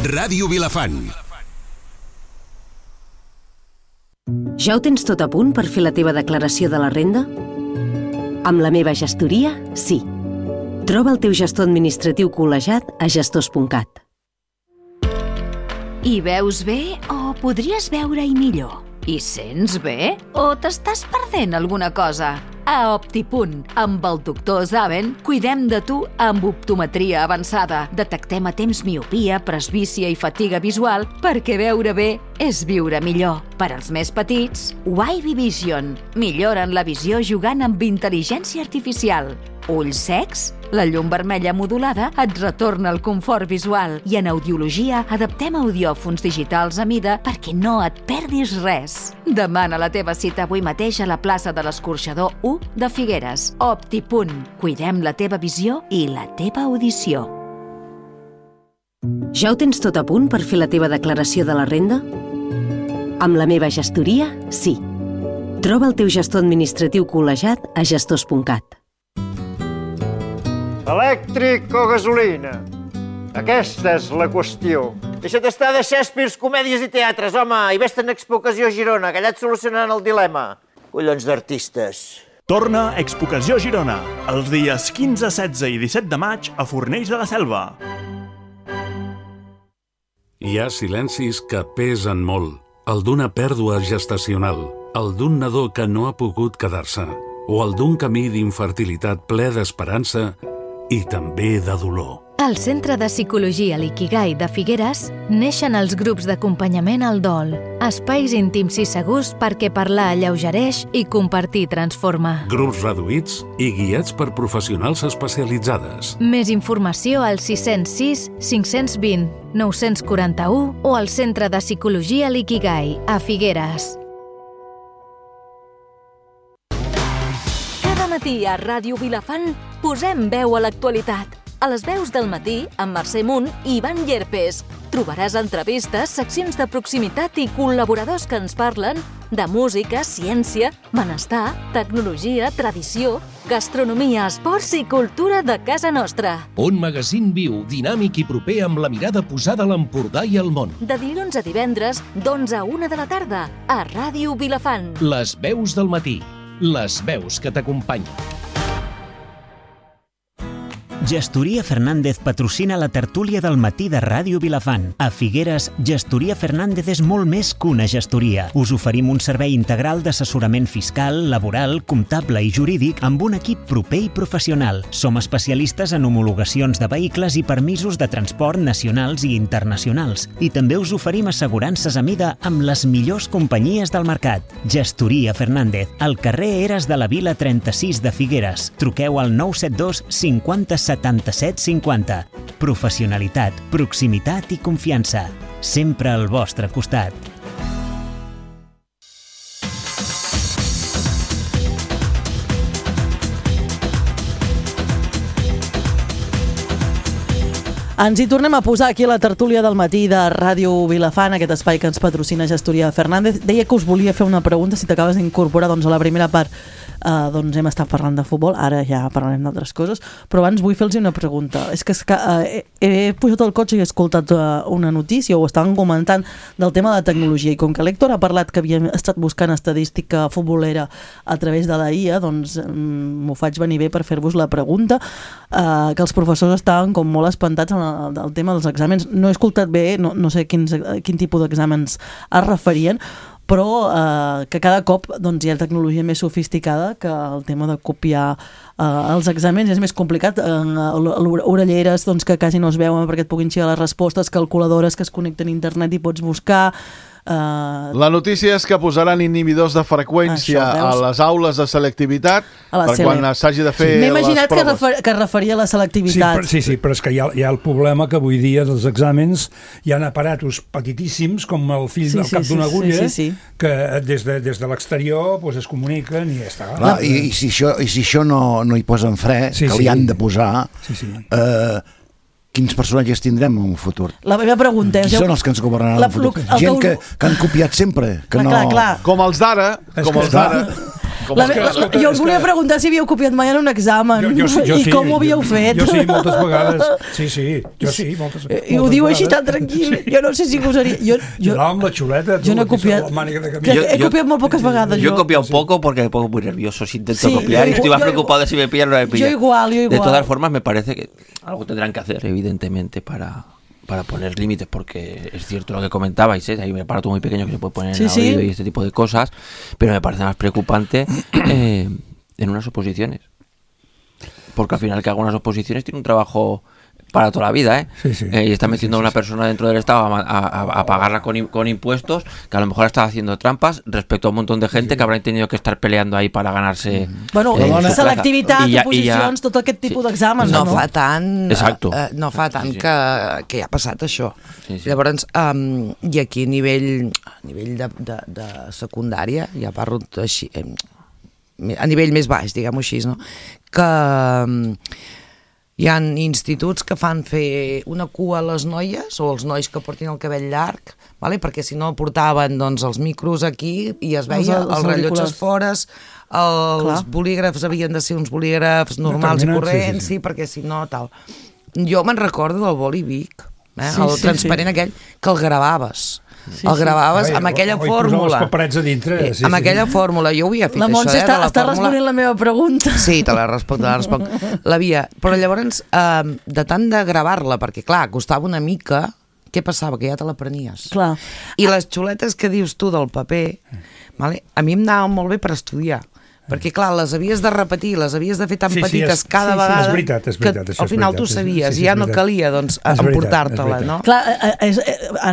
Ràdio Vilafant. Ja ho tens tot a punt per fer la teva declaració de la renda? Amb la meva gestoria, sí. Troba el teu gestor administratiu col·legiat a gestors.cat. Hi veus bé o podries veure-hi millor? Hi sents bé o t'estàs perdent alguna cosa? A Optipunt, amb el doctor Zaven, cuidem de tu amb optometria avançada. Detectem a temps miopia, presbícia i fatiga visual perquè veure bé és viure millor. Per als més petits, Wavy Vision. Milloren la visió jugant amb intel·ligència artificial. Ulls secs? La llum vermella modulada et retorna el confort visual i en audiologia adaptem audiòfons digitals a mida perquè no et perdis res. Demana la teva cita avui mateix a la plaça de l'Escorxador 1 de Figueres. Optipunt. Cuidem la teva visió i la teva audició. Ja ho tens tot a punt per fer la teva declaració de la renda? Amb la meva gestoria, sí. Troba el teu gestor administratiu col·legiat a gestors.cat. Elèctric o gasolina? Aquesta és la qüestió. Deixa't estar de Shakespeare, comèdies i teatres, home, i vés-te'n a Expocació Girona, que allà et solucionaran el dilema. Collons d'artistes. Torna Expocació Girona, els dies 15, 16 i 17 de maig a Fornells de la Selva. Hi ha silencis que pesen molt. El d'una pèrdua gestacional, el d'un nadó que no ha pogut quedar-se, o el d'un camí d'infertilitat ple d'esperança i també de dolor. Al Centre de Psicologia L'Ikigai de Figueres neixen els grups d'acompanyament al dol, espais íntims i segurs perquè parlar alleugereix i compartir transforma. Grups reduïts i guiats per professionals especialitzades. Més informació al 606 520 941 o al Centre de Psicologia L'Ikigai a Figueres. Cada matí a Ràdio Vilafant posem veu a l'actualitat. A les veus del matí, amb Mercè Munt i Ivan Llerpes. Trobaràs entrevistes, seccions de proximitat i col·laboradors que ens parlen de música, ciència, benestar, tecnologia, tradició, gastronomia, esports i cultura de casa nostra. Un magazín viu, dinàmic i proper amb la mirada posada a l'Empordà i al món. De dilluns a divendres, d'11 a 1 de la tarda, a Ràdio Vilafant. Les veus del matí. Les veus que t'acompanyen. Gestoria Fernández patrocina la tertúlia del matí de Ràdio Vilafant. A Figueres, Gestoria Fernández és molt més que una gestoria. Us oferim un servei integral d'assessorament fiscal, laboral, comptable i jurídic amb un equip proper i professional. Som especialistes en homologacions de vehicles i permisos de transport nacionals i internacionals. I també us oferim assegurances a mida amb les millors companyies del mercat. Gestoria Fernández, al carrer Eres de la Vila 36 de Figueres. Truqueu al 972 50 77 50. Professionalitat, proximitat i confiança. Sempre al vostre costat. Ens hi tornem a posar aquí a la tertúlia del matí de Ràdio Vilafant, aquest espai que ens patrocina Gestoria Fernández. Deia que us volia fer una pregunta, si t'acabes d'incorporar doncs, a la primera part. Doncs hem estat parlant de futbol, ara ja parlarem d'altres coses, però abans vull fer-los una pregunta. És que he pujat al cotxe i he escoltat una notícia, o estaven comentant del tema de tecnologia, i com que l'Héctor ha parlat que havia estat buscant estadística futbolera a través de la IA, doncs m'ho faig venir bé per fer-vos la pregunta, que els professors estaven com molt espantats del tema dels exàmens. No he escoltat bé, no sé quin tipus d'exàmens es referien, però que cada cop doncs, hi ha tecnologia més sofisticada, que el tema de copiar els exàmens és més complicat. Orelleres doncs, que quasi no es veuen perquè et puguin xiar les respostes, calculadores que es connecten a internet i pots buscar. La notícia és que posaran inhibidors de freqüència a les aules de selectivitat per quan s'hagi de fer les proves. M'he imaginat que es referia a la selectivitat. Sí, però és que hi ha el problema que avui dia dels exàmens hi ha aparatos petitíssims com el fil del cap d'una agulla que des de l'exterior es comuniquen i ja està. Clar, i si això no hi posen fre, que li han de posar... Quins personatges tindrem en un futur? La meva pregunta és... Qui són els que ens governaran en un futur? Gent que han copiat sempre. Clar. Com els d'ara. Jo us volia preguntar si havíeu copiat mai en un examen i com ho havíeu fet. Jo sí, moltes vegades. Sí, moltes vegades. I ho diu així tan tranquil. Jo no sé si gosaria. Jo amb la xuleta. Jo no he copiat. He copiat molt poques vegades. Yo he copiado poco porque me pongo muy nervioso si intento copiar y estoy más preocupado de si me pillan o no me pillan. Yo igual. De todas formas, me parece que algo tendrán que hacer, evidentemente, para poner límites, porque es cierto lo que comentabais, hay un aparato muy pequeño que se puede poner en el oído y este tipo de cosas, pero me parece más preocupante en unas oposiciones, porque al final que haga unas oposiciones tiene un trabajo para toda la vida, y está metiendo a una persona dentro del Estado a pagarla con impuestos, que a lo mejor está haciendo trampas respecto a un montón de gente que habrán tenido que estar peleando ahí para ganarse... Bueno, selectivitat, oposicions, tot aquest tipus d'exàmens, no? No fa tant, no fa tant que ja ha passat això. Llavors, i aquí a nivell de secundària, ja parlo així, a nivell més baix, diguem-ho així, no? Que... hi ha instituts que fan fer una cua a les noies o els nois que portin el cabell llarg, perquè si no portaven els micros aquí i es veia els rellotges fores, els bolígrafs havien de ser uns bolígrafs normals i corrents, perquè si no tal. Jo me'n recordo del boli Vic, el transparent aquell, que el gravaves. El gravaves amb aquella fórmula. Els paperets a dintre. Amb aquella fórmula. Jo ho havia fet, la Montse està responent la meva pregunta. Sí, te la responc. L'havia. Però llavors, de tant de gravar-la, perquè clar, costava una mica, què passava? Que ja te l'aprenies. I les xuletes que dius tu del paper, a mi em anaven molt bé per estudiar. Perquè, clar, les havies de repetir, les havies de fer tan petites cada vegada... És veritat, que al final tu sabies i ja no calia, doncs, emportar-te-la, no? Clar,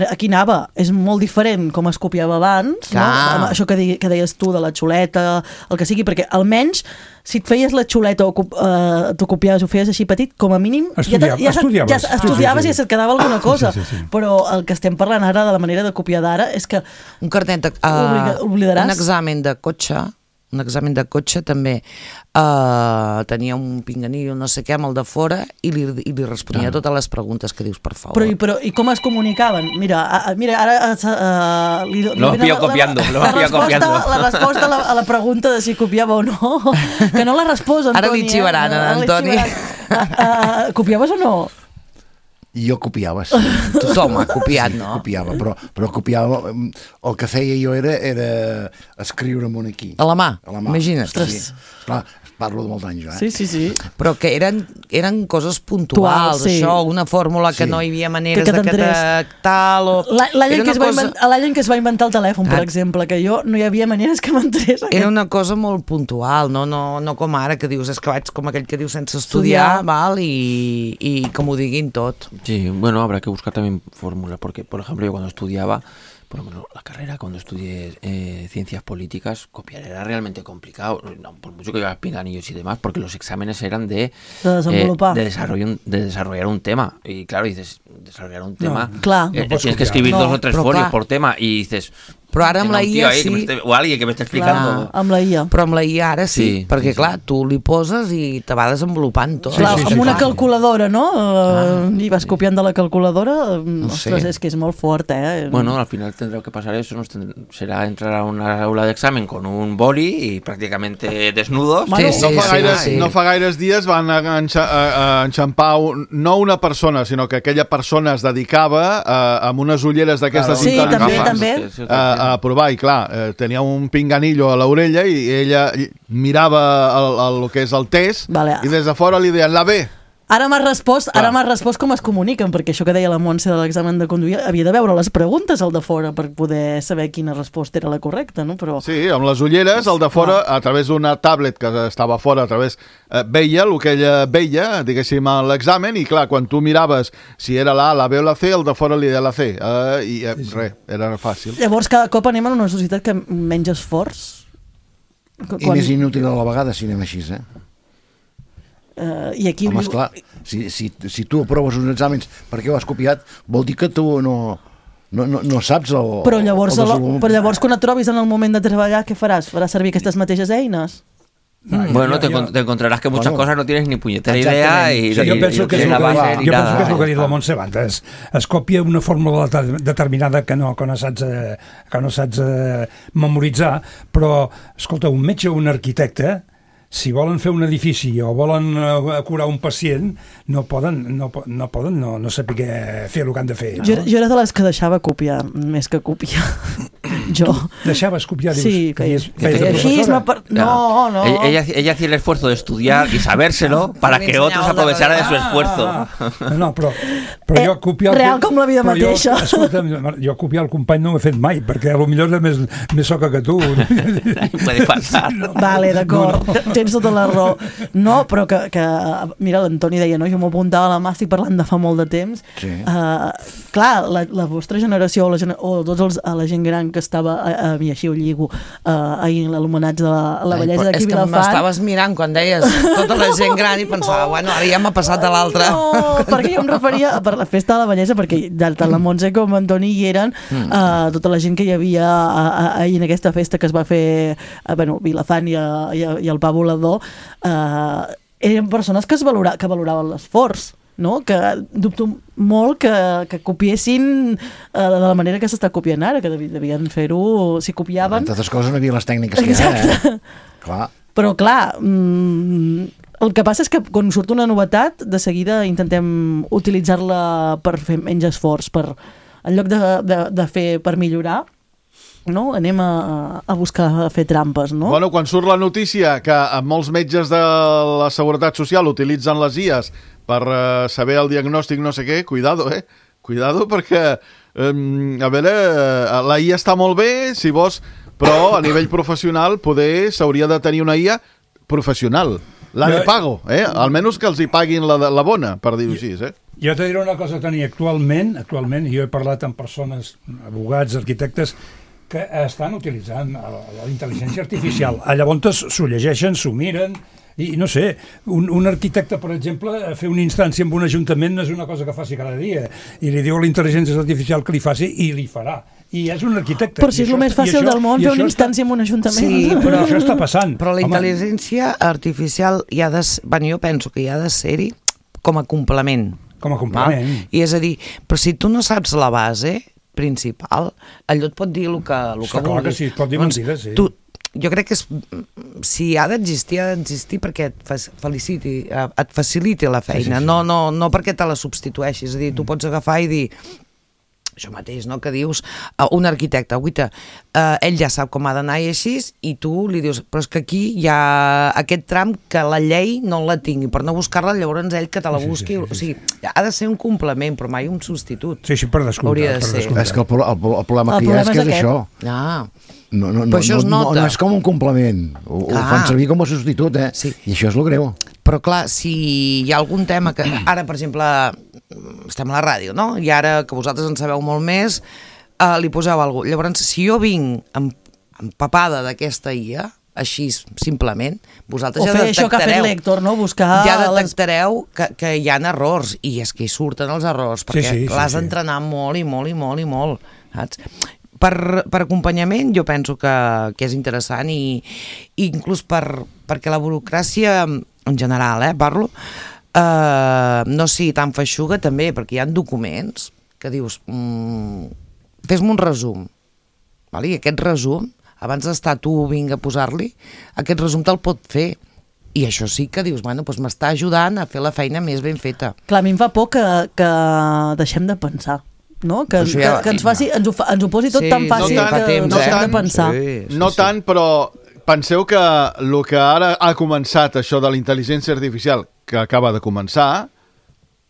aquí anava, és molt diferent com es copiava abans, no? Això que deies tu de la xuleta, el que sigui, perquè almenys si et feies la xuleta o t'ho copiaves o feies així petit, com a mínim estudiaves i se't quedava alguna cosa. Però el que estem parlant ara de la manera de copiar d'ara és que un carnet oblidaràs. Un examen de cotxe també tenia un pinganillo no sé què amb el de fora i li responia totes les preguntes que dius, per favor. Però i com es comunicaven? Mira, ara... Lo pillo copiando. La resposta a la pregunta de si copiava o no, que no la respòs, Antoni. Ara li xivaran, Antoni. Copiaves o no? Jo copiava, sí. Tothom ha copiat, no? Copiava, però copiava... El que feia jo era escriure'm aquí. A la mà, imagina't. Sí. Clar, parlo de molts anys, Sí. Però que eren coses puntuals, això, una fórmula que no hi havia maneres de que tal... L'any en què es va inventar el telèfon, per exemple, que jo no hi havia maneres que m'entrés. Era una cosa molt puntual, no com ara, que dius, és que vaig com aquell que diu sense estudiar, i que m'ho diguin tot. Sí, bueno, habrá que buscar también fórmulas, porque, por ejemplo, yo cuando estudiaba, por lo menos la carrera, cuando estudié ciencias políticas, copiar era realmente complicado, no, por mucho que llevas pinganillos y demás, porque los exámenes eran de desarrollar un tema, y claro, dices, desarrollar un tema, tienes que escribir 2 o 3 folios por tema, y dices... Però ara amb la IA sí. O alguien que m'està explicant. Amb la IA. Però amb la IA ara sí, perquè clar, tu li poses i te va desenvolupant tot. Clar, amb una calculadora, no? I vas copiant de la calculadora, ostres, és que és molt fort, Bueno, al final tendrá que pasar eso, será entrar a una aula de examen con un boli y prácticamente desnudos. No fa gaires dies van enxampar no una persona, sinó que aquella persona es dedicava amb unes ulleres d'aquestes intel·ligents a provar, i clar, tenia un pinganillo a l'orella i ella mirava el que és el test i des de fora li deien la B. Ara m'has respost com es comuniquen, perquè això que deia la Montse de l'examen de conduir, havia de veure les preguntes al de fora per poder saber quina resposta era la correcta, no? Però... Sí, amb les ulleres, el de fora, a través d'una tablet que estava fora, veia el que ella veia, diguéssim, a l'examen, i clar, quan tu miraves si era la A, la B o la C, el de fora li deia la C, i res, era fàcil. Llavors, cada cop anem a una societat que menys esforç. I més inútil a la vegada, si anem així, I aquí... Home, esclar, si tu aproves uns exàmens perquè ho has copiat, vol dir que tu no saps el... Però llavors quan et trobis en el moment de treballar, què faràs? Faràs servir aquestes mateixes eines? Bueno, te encontrarás que muchas cosas no tienes ni puñetera idea y jo penso que és el que ha dit la Montse abans. Es copia una fórmula determinada que no saps memoritzar, però, escolta, un metge o un arquitecte, si volen fer un edifici o volen curar un pacient, no saber fer el que han de fer. Jo era de les que deixava copiar, més que copiar. Jo. ¿Deixaves copiar? Sí, feies així. No. Ella hacía el esfuerzo de estudiar y sabérselo para que otros aprovecharan de su esfuerzo. No, però jo copiar... Real com la vida mateixa. Jo copiar el company no ho he fet mai, perquè potser és més soca que tu. Puede pasar. Vale, d'acord. Tens tota la raó. No, però que mira, l'Antoni deia, no? Jo m'ho apuntava a la mà, estic parlant de fa molt de temps. Clar, la vostra generació o la gent gran que estava, i així ho lligo, ahir en l'homenatge de la bellesa d'aquí Vilafant. És que m'estaves mirant quan deies tota la gent gran i pensava, bueno, ara ja m'ha passat a l'altre. No, perquè jo em referia per la festa de la bellesa, perquè tant la Montse com Antoni hi eren, tota la gent que hi havia ahir en aquesta festa que es va fer a Vilafant i al Pa Volador, eren persones que valoraven l'esforç, no? Que dubto molt que copiessin de la manera que s'està copiant ara, que devien fer-ho, si copiaven... Entre altres coses no hi havia les tècniques que hi ha, Clar. Però clar, el que passa és que quan surt una novetat, de seguida intentem utilitzar-la per fer menys esforç, en lloc de fer per millorar, no? Anem a buscar fer trampes, no? Bueno, quan surt la notícia que molts metges de la Seguretat Social utilitzen les IAs per saber el diagnòstic no sé què, cuidado, Cuidado perquè, a veure, la IA està molt bé si vols però a nivell professional poder s'hauria de tenir una IA professional. La de pago, almenys que els hi paguin la bona, per dir-ho així. Jo te diré una cosa, Toni, actualment, jo he parlat amb persones, abogats, arquitectes, que estan utilitzant la intel·ligència artificial. Llavors s'ho llegeixen, s'ho miren, i no sé, un arquitecte, per exemple, fer una instància en un ajuntament no és una cosa que faci cada dia, i li diu a la intel·ligència artificial que li faci, i li farà. I és un arquitecte. Però si és el més fàcil del món fer una instància en un ajuntament. Sí, però això està passant. Però la intel·ligència artificial jo penso que hi ha de ser-hi com a complement. Com a complement. I és a dir, però si tu no saps la base principal, allò et pot dir el que vulguis. Que sí, et pot dir mentides, sí. Jo crec que si ha d'existir perquè et faciliti la feina, no perquè te la substitueixis. És a dir, tu pots agafar i dir això mateix, no?, que dius un arquitecte, ell ja sap com ha d'anar i així, i tu li dius, però és que aquí hi ha aquest tram que la llei no la tingui, per no buscar-la, llavors ell que te la busqui. O sigui, ha de ser un complement, però mai un substitut. Sí, per descomptat. És que el problema que hi ha és que és això. No és com un complement, ho fan servir com a substitut, i això és el greu. Però clar, si hi ha algun tema que... Ara, per exemple, estem a la ràdio, no? I ara, que vosaltres en sabeu molt més, li poseu alguna cosa. Llavors, si jo vinc empapada d'aquesta IA, així simplement, vosaltres ja detectareu... O fer això que ha fet l'Héctor, no? Buscar... Ja detectareu que hi ha errors, i és que hi surten els errors, perquè l'has d'entrenar molt i molt i molt i molt, saps? Per acompanyament jo penso que és interessant, i inclús perquè la burocràcia en general, parlo, no sigui tan feixuga també, perquè hi ha documents que dius fes-me un resum, i aquest resum, abans d'estar tu vinga a posar-li, aquest resum te'l pot fer, i això sí que dius, doncs m'està ajudant a fer la feina més ben feta. Clar, a mi em fa por que deixem de pensar, no? Que ens ho posi tot tan fàcil que deixem de pensar. No tant, però penseu que el que ara ha començat això de la intel·ligència artificial, que acaba de començar,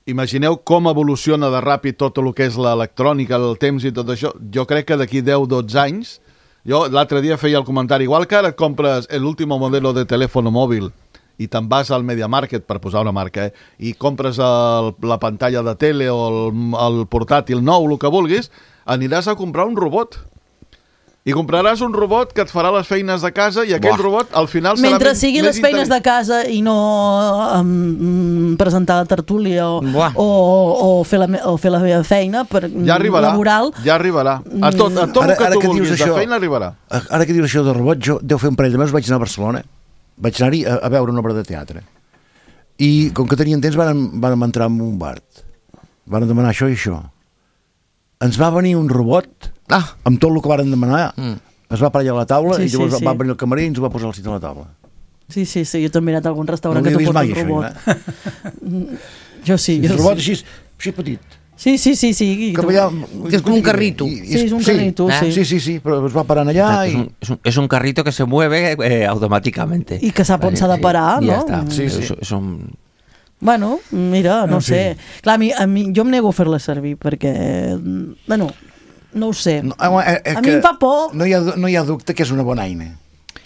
imagineu com evoluciona de ràpid tot el que és l'electrònica, el temps i tot això. Jo crec que d'aquí 10-12 anys, jo l'altre dia feia el comentari, igual que ara et compres l'últim modelo de telèfon mòbil i te'n vas al Media Market, per posar una marca, i compres la pantalla de tele o el portàtil nou, el que vulguis, aniràs a comprar un robot. I compraràs un robot que et farà les feines de casa, i aquell robot al final serà mentre sigui les feines de casa i no presentar la tertúlia o fer la meva feina laboral. Ja arribarà. A tot el que tu vulguis de feina arribarà. Ara que dius això del robot, jo deu fer un parell de mesos vaig anar a Barcelona. Vaig anar-hi a veure una obra de teatre. I com que tenien temps vam entrar en un bar. Van demanar això i això. Ens va venir un robot amb tot el que varen demanar, es va aparellar a la taula i llavors va venir el camarer i ens ho va posar al sit a la taula. Sí, jo també he anat a algun restaurant que t'ho posa un robot. Jo sí. Un robot així petit. Sí. Que és com un carrito. Sí, és un carrito, sí. Sí, però es va parant allà i... Es un carrito que se mueve automáticamente. I que sap on s'ha de parar, no? Ja està. És un... Bueno, mira, no sé. Clar, a mi jo em nego a fer-la servir perquè, bueno, no ho sé. A mi em fa por. No hi ha dubte que és una bona eina.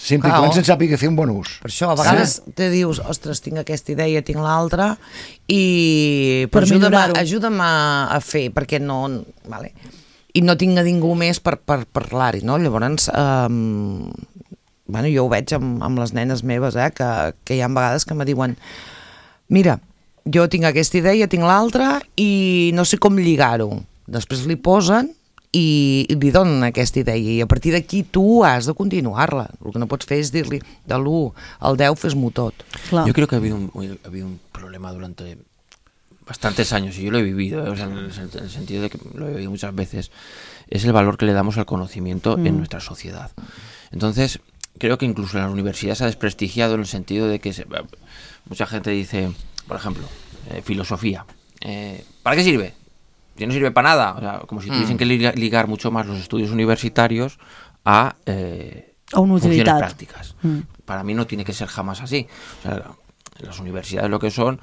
Sempre i quan se'n sàpiga fer un bon ús. Per això, a vegades te dius, ostres, tinc aquesta idea, tinc l'altra, i ajuda'm a fer, perquè no... I no tinc a ningú més per parlar-hi, no? Llavors, jo ho veig amb les nenes meves, que hi ha vegades que me diuen mira, jo tinc aquesta idea, tinc l'altra i no sé com lligar-ho. Després li posen i li donen aquesta idea i a partir d'aquí tu has de continuar-la. El que no pots fer es dir-li de l'1 al 10 fes-m'ho tot. Yo creo que ha habido un problema durante bastantes años, y yo lo he vivido, en el sentido de que lo he vivido muchas veces, es el valor que le damos al conocimiento en nuestra sociedad. Entonces, creo que incluso en las universidades se ha desprestigiado en el sentido de que mucha gente dice, por ejemplo, filosofía. ¿Para qué sirve? Si no sirve para nada. O sea, como si tuviesen que ligar mucho más los estudios universitarios a una funciones utilidad. prácticas. Para mí no tiene que ser jamás así. O sea, las universidades lo que son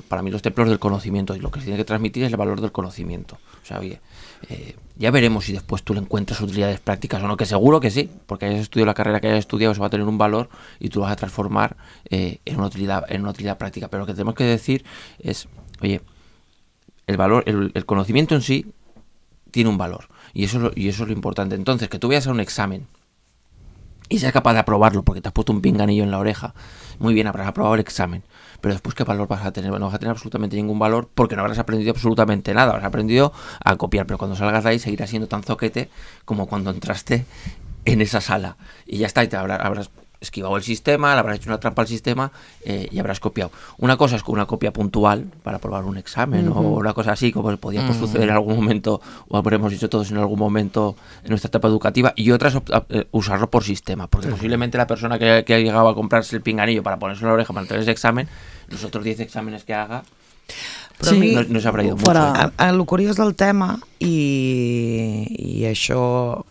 para mí los templos del conocimiento, y lo que se tiene que transmitir es el valor del conocimiento. O sea, oye, ya veremos si después tú le encuentras utilidades prácticas o no, que seguro que sí, porque hayas estudiado la carrera que hayas estudiado, eso va a tener un valor y tú lo vas a transformar en una utilidad práctica. Pero lo que tenemos que decir es, oye, el valor, el conocimiento en sí tiene un valor, y eso es lo importante. Entonces, que tú vayas a un examen y seas capaz de aprobarlo porque te has puesto un pinganillo en la oreja, muy bien, habrás aprobado el examen, pero después ¿qué valor vas a tener? Bueno, no vas a tener absolutamente ningún valor porque no habrás aprendido absolutamente nada, habrás aprendido a copiar, pero cuando salgas de ahí seguirás siendo tan zoquete como cuando entraste en esa sala, y ya está, y te habrás esquivado el sistema, le habrás hecho una trampa al sistema y habrás copiado. Una cosa es con una copia puntual para aprobar un examen o una cosa así, como podía suceder en algún momento, o habremos hecho todos en algún momento en nuestra etapa educativa, y otra es usarlo por sistema, porque posiblemente la persona que ha llegado a comprarse el pinganillo para ponerse en la oreja para tener ese examen, los otros 10 exámenes que haga, però sí, no s'ha aprendido mucho. El curiós del tema, i això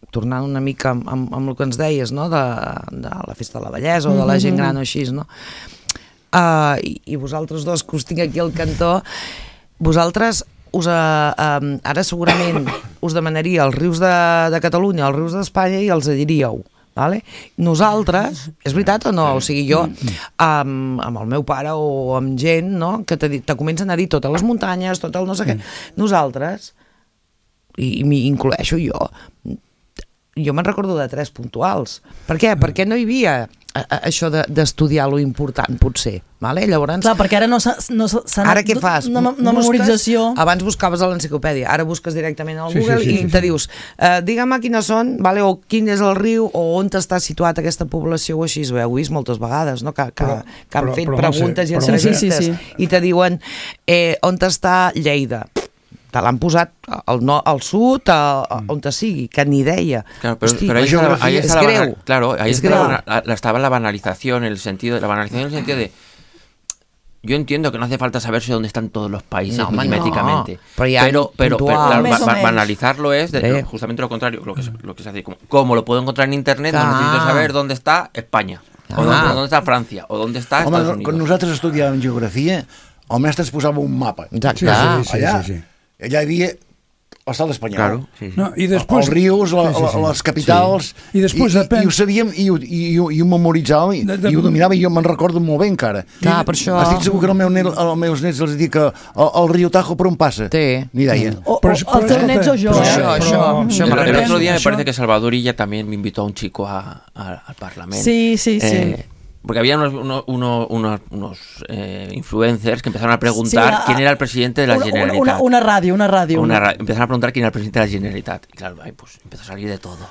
tornant una mica amb el que ens deies, no? de la festa de la bellesa o de la gent gran o així, no? I vosaltres dos que us tinc aquí al cantó, vosaltres ara segurament us demanaria els rius de Catalunya, els rius d'Espanya, i els diríeu, vale? Nosaltres, és veritat o no? O sigui, jo amb el meu pare o amb gent, no? Que te comencen a dir totes les muntanyes, tot el no sé què, nosaltres, i m'hi incloeixo jo me'n recordo de 3 puntuals. Per què? Perquè no hi havia això d'estudiar lo important, potser. Vale? Llavors, clar, perquè ara no s'ha ara què fas? Una memorització. Abans buscaves a l'enciclopèdia, ara busques directament al Google i te dius, digue'm quines són, vale? O quin és el riu, o on està situat aquesta població, o així. Ho heu vist moltes vegades, no? Que han fet preguntes i entrevistes i te diuen on està Lleida. Te l'han posat al sud, on te sigui, que ni idea. Claro, pero ahí está greu. Claro, ahí estaba la banalización, en el sentido de yo entiendo que no hace falta saberse dónde están todos los países milimétricamente, pero banalizarlo es justamente lo contrario, lo que se hace, como lo puedo encontrar en internet, no necesito saber dónde está España, o dónde está Francia, o dónde está Estados Unidos. Quan nosaltres estudiàvem geografia, el mestre ens posava un mapa. Exacte. Allà hi havia l'estat espanyol. Claro, no, i després, els rius, les capitals, i ho sabíem, i ho memoritzàvem, i ho dominava, i jo me'n recordo molt bé encara. Clar, per això... Estic segur que als meus nets els dic que el riu Tajo per on passa. Ni idea. O els teus nets o jo. El otro día me parece que Salvador Illa también me invitó a un chico al Parlamento. Sí. Porque había unos influencers que empezaron a preguntar quién era el presidente de la Generalitat. Una radio. Empezaron a preguntar quién era el presidente de la Generalitat. Y claro, pues empezó a salir de todo.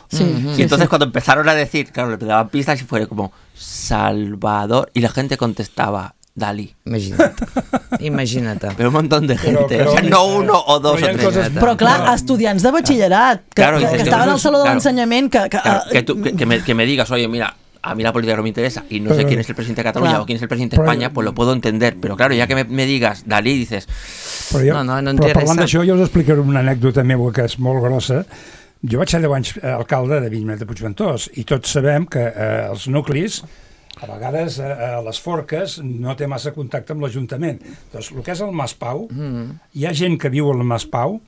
Y entonces cuando empezaron a decir, claro, le daban pistas y fue como Salvador, y la gente contestaba Dalí. Imagina't. Pero un montón de gente, o sea, no uno o dos o tres. Però clar, estudiants de batxillerat que estaven al saló de l'ensenyament que me digas, oye, mira, a mí la política no me interesa y no sé quién es el presidente de Cataluña o quién es el presidente de España, pues lo puedo entender, pero claro, ya que me digas Dalí, dices no però parlant d'això, jo us explicaré una anècdota meva que és molt grossa. Jo vaig ser 10 anys alcalde de Avinyonet de Puigventós, i tots sabem que els nuclis, a vegades a les forques, no té massa contacte amb l'Ajuntament. Doncs el que és el Mas Pau, hi ha gent que viu al Mas Pau,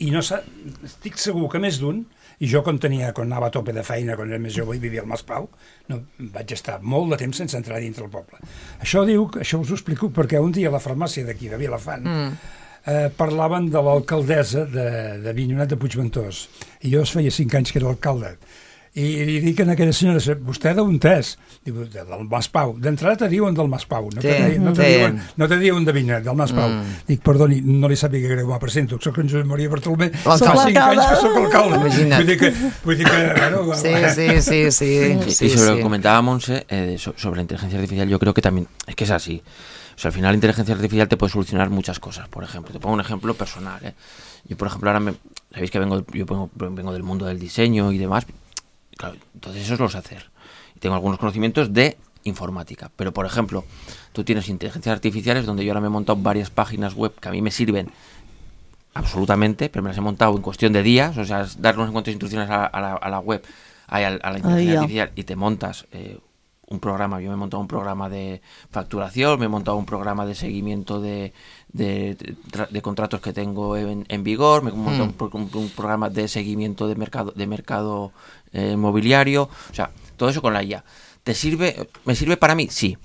i no estic segur que més d'un, i jo quan anava a tope de feina, quan era més jove i vivia al Mas Pau, vaig estar molt de temps sense entrar dintre el poble. Això us ho explico perquè un dia a la farmàcia d'aquí, de Vilafant, parlaven de l'alcaldessa de Avinyonet de Puigventós, i jo feia 5 anys que era alcalde, i li dic a aquella senyora, vostè d'on és? Diu, del Mas Pau. D'entrada te diuen del Mas Pau, no te diuen d'Avinyonet, del Mas Pau. Dic, perdoni, no li sàpiga greu, me presento, soc en Josep Maria Bartolomé, fa 5 anys que soc alcalde. Vull dir que, bueno... Sí. Y sobre lo que comentaba Montse, sobre la inteligencia artificial, yo creo que también, es que es así. O sea, al final la inteligencia artificial te puede solucionar muchas cosas. Por ejemplo, te pongo un ejemplo personal. Yo, por ejemplo, ahora sabéis que vengo del mundo del diseño y demás. Claro, entonces eso lo sé hacer. Y tengo algunos conocimientos de informática. Pero, por ejemplo, tú tienes inteligencias artificiales donde yo ahora me he montado varias páginas web que a mí me sirven absolutamente, pero me las he montado en cuestión de días. O sea, es dar unas cuantas instrucciones a la web, a la inteligencia artificial, y te montas un programa, yo me he montado un programa de facturación, me he montado un programa de seguimiento de contratos que tengo en vigor, me he montado un programa de seguimiento de mercado inmobiliario, o sea, todo eso con la IA. ¿Me sirve para mí? Sí.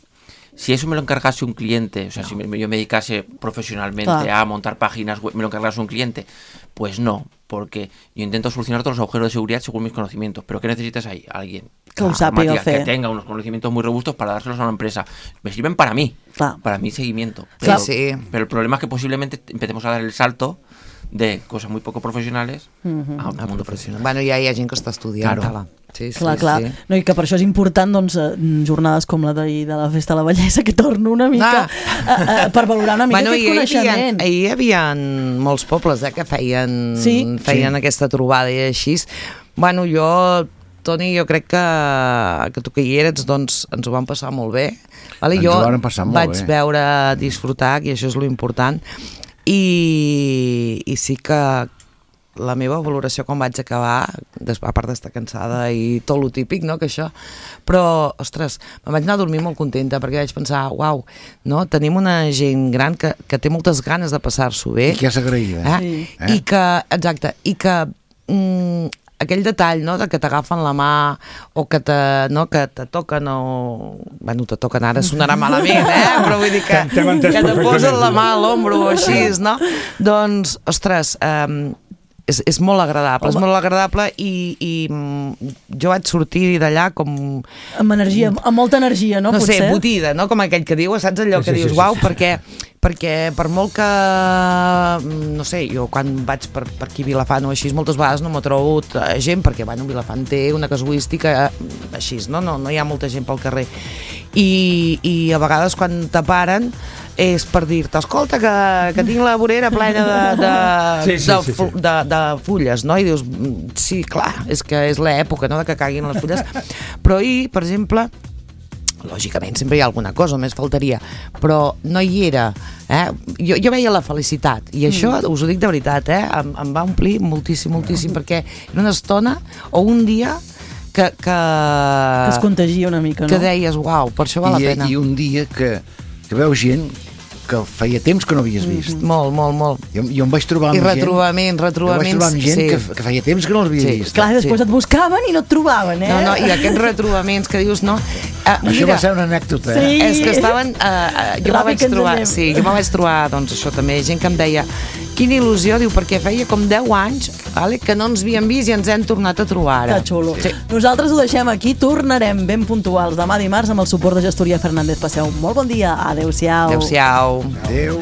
Si eso me lo encargase un cliente, o sea, si yo me dedicase profesionalmente a montar páginas web, me lo encargase un cliente, pues no, porque yo intento solucionar todos los agujeros de seguridad según mis conocimientos. ¿Pero qué necesitas ahí? Alguien que tenga unos conocimientos muy robustos para dárselos a una empresa. Me sirven para mí, para mi seguimiento. Pero el problema es que posiblemente empecemos a dar el salto de cosas muy poco professionals a un mundo professional. Bueno, ja hi ha gent que està estudiant. Claro. Sí. No, i que per això és important doncs, jornades com la d'ahir de la Festa de la Bellesa, que torno una mica per valorar una mica aquest coneixement. Ahir hi havia molts pobles que feien aquesta trobada i així. Bueno, Toni, jo crec que tu que hi eres, doncs ens ho vam passar molt bé. Jo vaig veure, disfrutar, i això és lo important. I sí que la meva valoració quan vaig acabar, a part d'estar cansada i tot lo típic, no, que això, però, ostres, me'n vaig anar a dormir molt contenta perquè vaig pensar, uau, no, tenim una gent gran que té moltes ganes de passar-s'ho bé. I que és agraïda. I que, exacte, i que aquell detall, no, de que t'agafen la mà o que te toquen o... Bueno, te toquen ara, sonarà malament, però vull dir que te posen la mà a l'ombro o així, no? Doncs, ostres, és molt agradable, i jo vaig sortir d'allà com... Amb energia, amb molta energia, no? No sé, botida, no? Com aquell que diu, saps allò que dius, uau, perquè per molt que, no sé, jo quan vaig per aquí a Vilafant o així, moltes vegades no m'he trobat gent, perquè, bueno, Vilafant té una casuística així, no hi ha molta gent pel carrer, i a vegades quan te paren és per dir-te, escolta, que tinc la vorera plena de fulles, no? I dius, sí, clar, és que és l'època, no?, de que caiguin les fulles. Però ahir, per exemple, lògicament sempre hi ha alguna cosa, només faltaria, però no hi era. Jo veia la felicitat, i això, us ho dic de veritat, em va omplir moltíssim, perquè era una estona o un dia que es contagia una mica, no? Que deies, uau, per això val la pena. I un dia que veus gent que feia temps que no havies vist. Molt. Jo em vaig trobar amb gent... I retrobaments. Jo vaig trobar amb gent que feia temps que no els havia vist. Clar, després et buscaven i no et trobaven, No, i aquests retrobaments que dius, no... Això va ser una anècdota, Sí. És que estaven... Jo me vaig trobar, doncs això també, gent que em deia, quina il·lusió, diu, perquè feia com 10 anys que no ens havíem vist i ens hem tornat a trobar ara. Que xulo. Nosaltres ho deixem aquí, tornarem ben puntuals demà dimarts amb el suport de Gestoria Fernández. Passeu un molt bon dia. Adéu-siau. Adéu-siau. Adéu.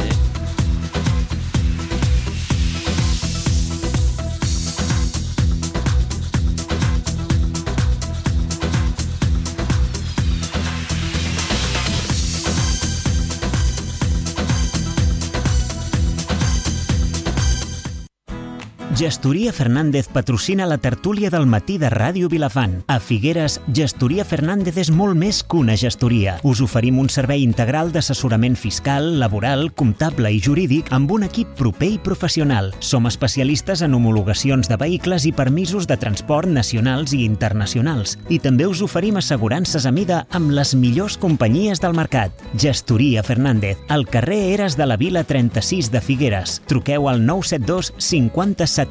Gestoria Fernández patrocina la tertúlia del matí de Ràdio Vilafant. A Figueres, Gestoria Fernández és molt més que una gestoria. Us oferim un servei integral d'assessorament fiscal, laboral, comptable i jurídic amb un equip proper i professional. Som especialistes en homologacions de vehicles i permisos de transport nacionals i internacionals. I també us oferim assegurances a mida amb les millors companyies del mercat. Gestoria Fernández, al carrer Eres de la Vila 36 de Figueres. Truqueu al 972 50 77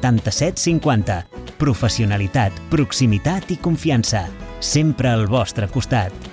50. Professionalitat, proximitat i confiança. Sempre al vostre costat.